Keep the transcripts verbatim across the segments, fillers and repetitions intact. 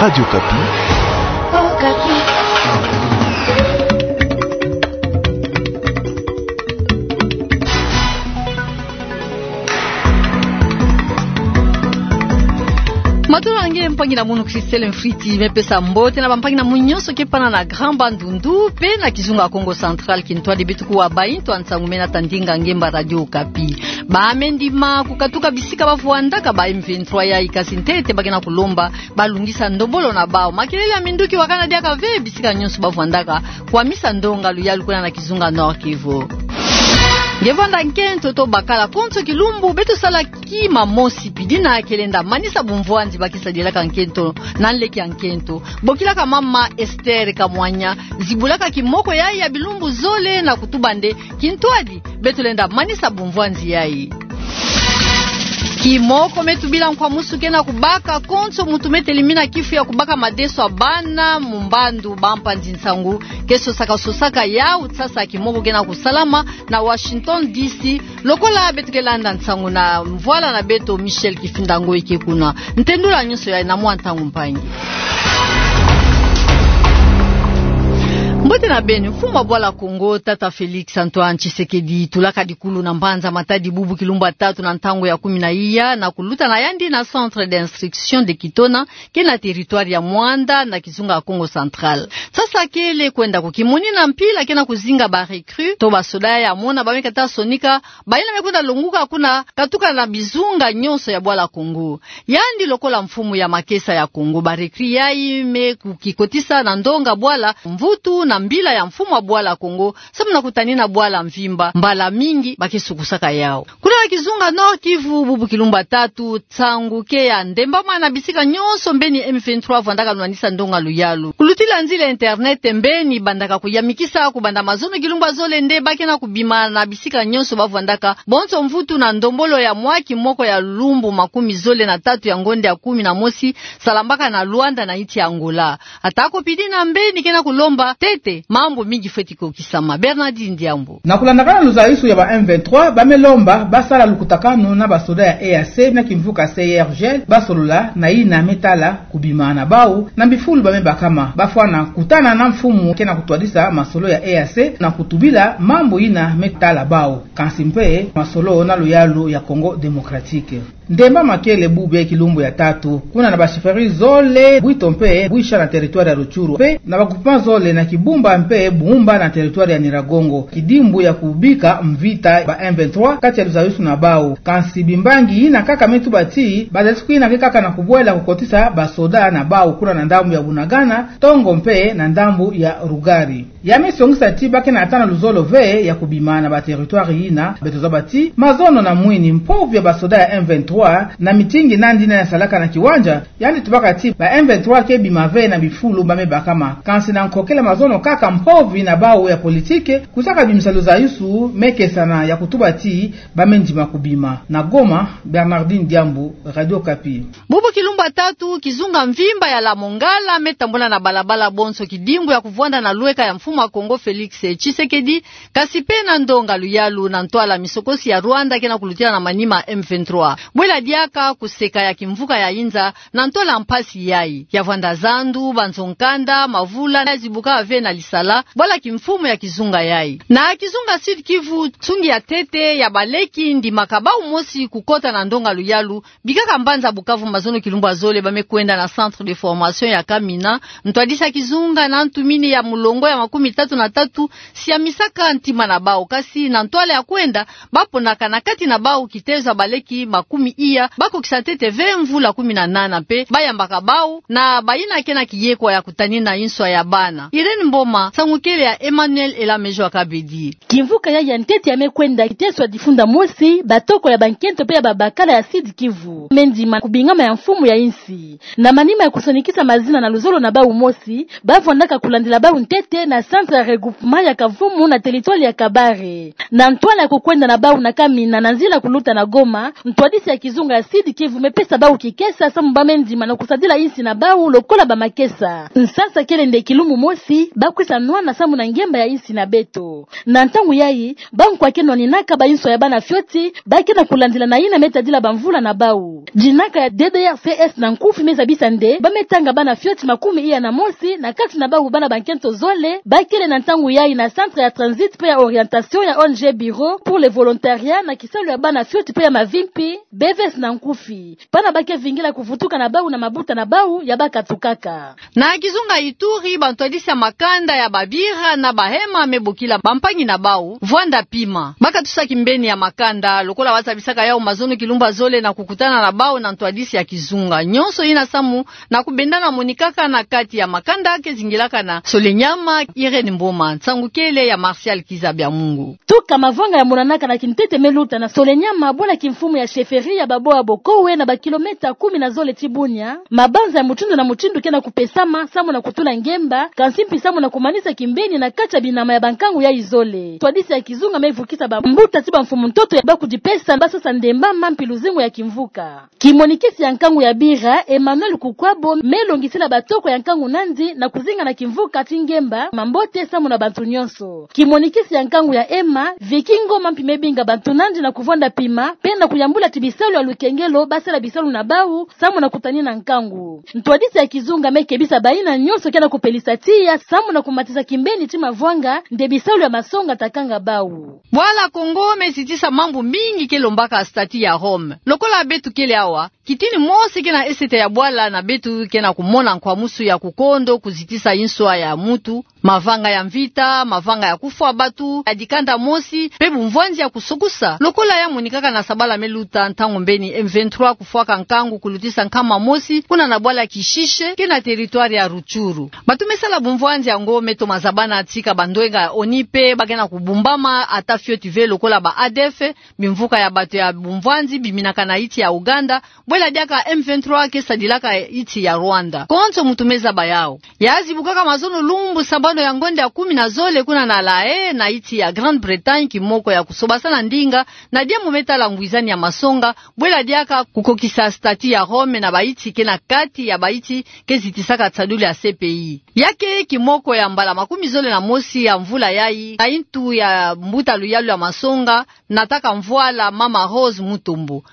Radio Okapi. Okapi. Matondo na nge mpangi na munu Christelle Mfriti, me pesa mbote na bampangi na munu nyonso ke pana na Grand Bandundu, pe na kizunga ya Kongo Central, kintwadi beto kuwa bayi ntu ya nsangu mena tandinga ngemba Radio Okapi. Ba me ndima kukatuka bisika bavwandaka ba M vingt-trois yayi, kasi ntete ba ke na kulomba balungisa ndombolo na bawu. Makelele ya minduki wakana diaka ve bisika nyonso bavwandaka, kwamisa ndonga luyalu kuna na kizunga Nord-Kivu. Nge vwanda nkento to bakala, konso kilumbu beto salaka kima mosi pidi na kelenda manisa bumvwanzi ba ke sadilaka nkento na nleke ya nkento. Bokilaka mama Esther Kamwanya, zibulaka kimoko yayi ya bilumbu zole na kutuba nde kintwadi beto lenda manisa bumvwanzi yayi. Kimoko me tubila nkwamusu ke na kubaka, konso muntu me telimina kifu ya kubaka madeso ya bana mu mbandu. Bampanzi nsangu ke sosaka sosaka yawu, sasa kimoko ke na kusalama na Washington D C, lokola beto ke landa nsangu na mvwala na beto Michel Kifinda Ngoyi ke kuna. Ntendula nyonso yayi na mwa ntangu mpangi. Mbote na beno. Mfumu wa bwala Kongo, tata Félix Antoine Tshisekedi, tulaka dikulu na mbanza Matadi bubu kilumbu ya tatu na ntangu ya kumi na iya, na kuluta na yandi na Centre d'Instruction de Kitona, ke na territoire ya Muanda na kizunga ya Kongo Central. Sasa kele kwenda kukimoni na mpila ke na kuzinga ba recrues to basoda ya mona ba me kata sonika, bayina me kwenda longuka kuna, katuka na bizunga nyonso ya bwala Kongo. Yandi lokola mfumu ya makesa ya Kongo, ba recrues yayi me kukikotisa na ndonga bwala, mvutu na mbila ya mfumu wa bwala Kongo, samu na kutanina bwala mvimba, mbala mingi ba ke sukusaka yawu. Kuna na kizunga Nord-Kivu, bubu kilumbu ya tatu, nsangu ke ya ndembama na bisika nyonso mbeni M vingt-trois vwandaka lunwanisa ndonga luyalu. Kulutila nzila internet mbeni bandaka kuyamikisa kubanda mazono kilumbu ya zole nde ba ke na kubima na bisika nyonso bavwandaka, bonso mvutu na ndombolo ya mwa kimoko ya lumbu makumi zole na tatu ya ngonda ya kumi na mosi, salambaka na Luanda na insi ya Angola. Atako pidi na mbeni ke na kulomba ntete, mambu mingi fweti kokisama. Bernardine Diambu. Na kulandakana luzayusu ya ba M vingt-trois, ba me lomba basala lukutakanu na basoda ya E A C na kimvuka C I R G L, basolola na yina me tala kubima na bawu na bifulu ba me bakama. Bafwana kutana na mfumu ke na kutwadisa masolo ya E A C na kutubila mambu yina me tala bawu, kansi mpe masolo na luyalu ya Congo Démocratique. Ndembama kele bubia kilumbu ya tatu, kuna na ba chefferies zole, bwito mpe bwisha na territoire ya Rutshuru, mpe na ba groupements zole na Kibumba mpe Bumba na territoire ya Nyiragongo, kidimbu ya kubika mvita ba M vingt-trois kati ya luzayusu na bawu. Kansi bimbangi yina kaka me tuba ti bazatiku yina ke kaka na kubwela kukotisa basoda na bawu kuna na ndambu ya Bunagana, Tongo mpe na ndambu ya Rugari. Ya me songisa ti ba ke na tana luzolo ve ya kubima na ba territoires yina. Beto zaba ti mazono na mwini mpovi ya basoda ya M vingt-trois na mitingi nandi na ya salaka na kiwanja, yandi tubaka ti ba M vingt-trois ke bima ve na bifulu ba me bakama. Kansi na nkokela mazono kaka mpovi na bawu ya politiki, kusaka bimisa luzayusu, me kesana ya kutuba ti ba me ndima kubima. Na Goma, Bernardine Diambu, Radio Okapi. Bubu kilumbu ya tatu, kizunga mvimba ya Lamongala me tambula na balabala bonso kidimbu ya kuvwanda na lweka ya mfumu wa Kongo Félix Tshisekedi, kasi mpe na ndonga luyalu na ntwala misokosi ya Rwanda ke na kulutila na manima M vingt-trois. Bwela diaka kuseka ya kimvuka ya inza na ntwala mpasi yayi. Ya vwanda zandu, banzo-nkanda, mavula, ya zibuka ve na lisala, bwala kimfumu ya kizunga yayi. Na kizunga Sud-Kivu, nsungi ya ntete ya baleki ndimaka bawu mosi kukota na ndonga luyalu, bikaka mbanza Bukavu mazono kilumbu ya zole ba me kwenda na centre de formation ya Kamina, ntwadisi ya kizunga na ntumini ya mulongo ya makumi tatu na tatu, siamisaka ntima na bawu, kasi na ntwala ya kwenda, ba ponaka na kati na bawu kitezo ya baleki makumi iya, ba kokisa ntete ve mvula kumi na nana mpe ba yambaka bawu na bayina ke na kiyekwa ya kutanina inswa ya bana. Irène Mboma, nsangu kele ya Emmanuel Elamejo Akabedi. Kimvuka yayi ya ntete ya me kwenda kiteso ya difunda mosi, batoko ya bankento mpe ya babakala ya Sud-Kivu me ndima kubingama ya mfumu ya insi. Na manima ya kusonikisa mazina na luzolo na bawu mosi, ba vwandaka kulandila bawu ntete na centre ya regroupement ya Kavumu na territoire ya Kabare. Na ntwala ya kukwenda na bawu na Kamina na nzila kuluta na Goma, ntwadisi ya Kizunga ya Sud-Kivu me pesa bau kikesa samu bamendima na kusadila insi na bau lokola bamakesa. Nsasa kele nde kilumbu mosi, bakwisa nwana samu na ngemba ya insi na beto. Na ntangu yayi, bankwa ke nwaninaka bainso ya bana fioti, ba ke na kulandila na yina me tadila bamvula na bau. Dinaka ya D D R C S na nkufi me zabisa nde, ba me tanga bana fioti makumi iya na mosi, na kati na bau bana bankento zole, ba kele na ntangu yayi na centre ya transit pe ya orientation ya O N G Bureau pour le volontariat na kisalu ya bana fioti pe ya mavimpi, B V S na nkufi. Bana ba ke vingila kuvutuka na bau na mabuta na bau ya bakatukaka. Na kizunga Ituri, bantwadisi ya makanda ya babira na bahema me bokila bampangi na bau vwanda pima. Ba katusa kimbeni ya makanda, lokola ba zabisaka yau mazono kilumbu ya zole na kukutana na bau na ntwadisi ya kizunga. Nyonso yina samu na kubendana monikaka na kati ya makanda ke zingilaka na Solenyama, Irène Mboma, nsangu kele ya Martial Kiza Bya Mungu. Tuka mavwanga ya monanaka na kintete me luta na Solenyama, bwala kimfumu ya chefferie ya Baboa Bokowe na bakilometa kumi na zole ti Bunia. Mabanza ya mutindu na mutindu ke na kupesama, samu na kutula ngemba, kansi mpi samu na kumanisa kimbeni na kati ya binama ya bankangu yayi zole. Ntwadisi ya kizunga me vukisa bambuta ti bamfumu ntoto ya ba kudipesa, ba sosa ndemba mampi luzingu ya kimvuka. Kimonikisi ya nkangu ya bira, Emmanuel Kukwabo, me longisila batoko ya nkangu nandi na kuzinga na kimvuka ti ngemba mambote samu na bantu nyonso. Kimonikisi ya nkangu ya ema, Vicky Ngoma mpi me binga bantu nandi na kuvwanda pima, pe na kuyambula ti bisalu ya lukengelo, ba sala bisalu na bau, samu na kutanina nkangu. Ntwadisi ya kizunga me kebisa bayina nyonso ke na kupelisa tiya, samu na kumatisa kimbeni ti mavwanga, nde bisalu ya masonga ta kanga bau. Bwala Kongo me zitisa mambu mingi ke lombaka statut ya Rome. Lokola beto kele awa, kitini mosi ke na esete ya bwala na beto ke na kumona nkwamusu ya kukondo kuzitisa inswa ya mutu, mavanga ya mvita, mavanga ya kufwa batu, ya dikanda mosi, pe bumvwanzi ya kusukusa. Lokola ya monikaka na sabala me luta ntangu mbeni M vingt-trois kufwaka nkangu kulutisa nkama mosi, kuna na bwala Kishishe, ke na territoire ya Rutshuru. Batu me sala bumvwanzi yango me toma zabana tika bandwenga ya ONU pe ba ke na kubumbama ata fioti ve lokola ba A D F, bimvuka ya bato ya bumvwanzi biminaka na insi ya Ouganda, bwela diaka M vingt-trois ke sadilaka insi ya Rwanda. Konso mutu me zaba yau. Ya zibukaka mazono lumbu sambanu ya ngonda ya kumi na zole kuna na La Haye na insi ya Grande-Bretagne kimoko ya kusobasana ndinga na diambu me tala ngwizani ya masonga, bwela diaka kukokisa statut ya Rome na bainsi ke na kati ya bainsi ke zitisaka nsadulu ya C P I. Ya ke kimoko ya mbala makumi zole na mosi ya mvula yayi, na intu ya mbuta luyalu ya masonga, nataka mvwala mama Rose Mutombo.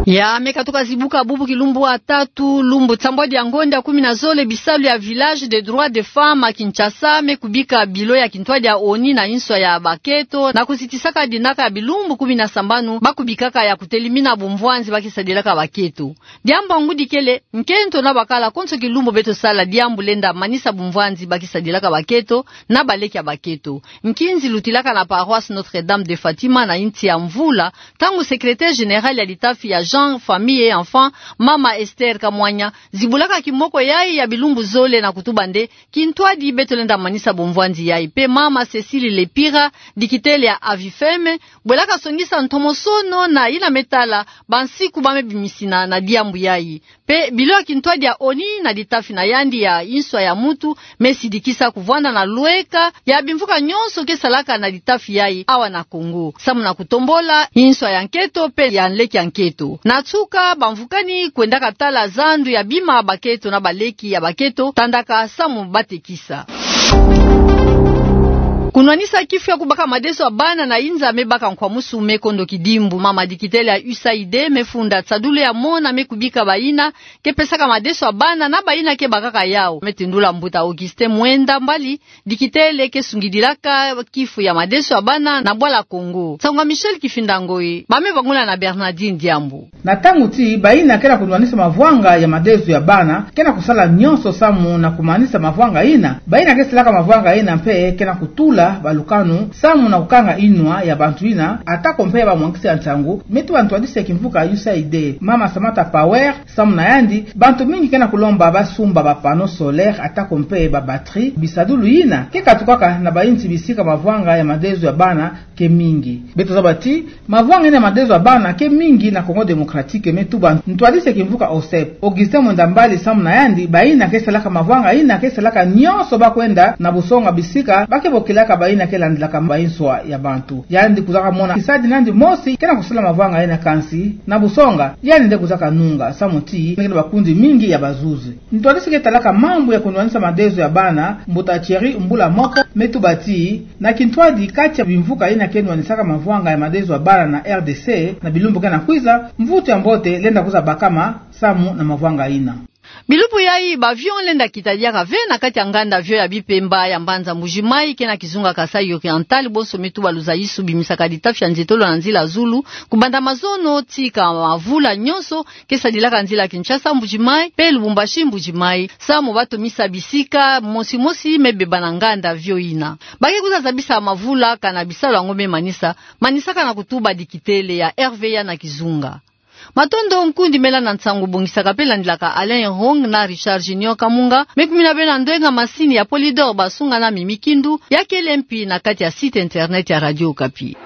Ya me katuka zibuka bubu kilumbu ya tatu, lumbu nsambwadi ya ngonda ya kumi na zole, bisalu ya Village des droits des femmes à Kinshasa me kubika bilo ya kintwadi ya ONU na inswa ya baketo, na kuzitisaka dinaka ya bilumbu kumi na sambanu ba kubikaka ya kutelimina bumvwanzi ba ke sadilaka baketo. Diambu ya ngudi kele, nkento na bakala konso kilumbu beto sala diambu lenda manisa bumvwanzi ba ke sadilaka baketo na baleki ya baketo. Nkinzi lutilaka na paroisse Notre-Dame de Fatima na insi ya Mvula, ntangu secrétaire général ya litafi ya Genre, Famille et Enfants, mama Esther Kamwanya, zibulaka kimoko yayi ya bilumbu zole na kutuba nde kintwadi beto lenda manisa bumvwanzi yayi. Pe mama Cécile Lepira, dikitele ya Avifem, bwelaka songisa ntomosono na yina me tala bansiku ba me bimisina na diambu yayi. Pe bilo ya kintwadi ya ONU na litafi na yandi ya inswa ya mutu me sidikisa kuvwanda na lweka ya bimvuka nyonso ke salaka na litafi yayi awa na Congo, samu na kutombola inswa ya nketo pe ya nleke ya nketo. Na nsuka, bamvukani kwendaka tala zandu ya bima baketo na baleki ya baketo, tandaka samu ba tekisa. Kunwanisa kifu ya kubaka madeso ya bana na inza me baka nkwamusu me kondo kidimbu. Mama dikitele ya U S A I D me funda nsadulu ya mona me kubika bayina ke pesaka madeso ya bana na bayina ke bakaka yau. Me tendula mbuta Augustin Mwenda Mbali, dikitele ke sungidilaka kifu ya madeso ya bana na bwala Congo. Nsangu ya Michel Kifinda Ngoi, ba me bangula na Bernardine Diambu. Na ntangu ti bayina ke na kunwanisa mavwanga ya madeso ya bana, ke na kusala nyonso samu na kumanisa mavwanga yina. Bayina ke salaka mavwanga yina mpe ke na kutula balukanu samu na kukanga yinwa ya bantu yina, atako mpe bamwangisi ya nsangu, me tuba ntwadisi ya kimvuka U S A I D, mama Samantha Power, samu na yandi, bantu mingi ke na kulomba ba sumba ba panneaux solaires atako mpe ba batteries, bisadulu yina ke katukaka na bainsi bisika mavwanga ya madeso ya bana ke mingi. Beto zaba ti mavwanga yina ya madeso ya bana ke mingi na Congo Démocratique, me tuba ntwadisi ya kimvuka OSEP, Augustin Mwenda Mbali, samu na yandi, bayina ke salaka mavwanga yina ke salaka nyonso ba kwenda na busonga bisika ba ke bokilaka bayina ke landilaka banswa ya bantu. Yandi kuzaka mona kisadi nandi mosi ke na kusala mavwanga yina, kansi na busonga yandi nde kuzaka nunga, samu ti na kina bakundi mingi ya bazuzi. Ntwadisi ke talaka mambu ya kunwanisa madezo ya bana, mbuta Thierry Mbula Moko, me tuba ti na kintwadi kati ya bimvuka yina ke nwanisaka mavwanga ya madezo ya bana na R D C na bilumbu ke na kwiza, mvutu ya mbote lenda kwiza bakama samu na mavwanga yina. Bilumbu yayi, b'avion lenda kita diaka ve na kati ya nganda-avio ya Bipemba ya mbanza Mbuji-Mayi, ke na kizunga Kasaï Oriental, bonso me tuba luzayisu bimisaka litafi ya nzietolo na nzila zulu, kubanda mazono tii ka mavula nyonso, ke sadilaka nzila Kinshasa Mbuji-Mayi, pe Lubumbashi Mbuji-Mayi, samu ba tomisa bisika mosi mosi me beba na nganda-avio yina. Ba ke kwiza zabisa mavula kana bisalu yango me manisa, manisaka na kutuba dikitele ya R V A na kizunga. Matondo, nkundi me landa nsangu bongisaka pe landilaka Alain Hong na Richard Junior Kamunga, me kumina beno na ndwenga masini ya Polydor Basunga na Mimi Kindu, ya kele mpi na kati ya site internet ya Radio Okapi.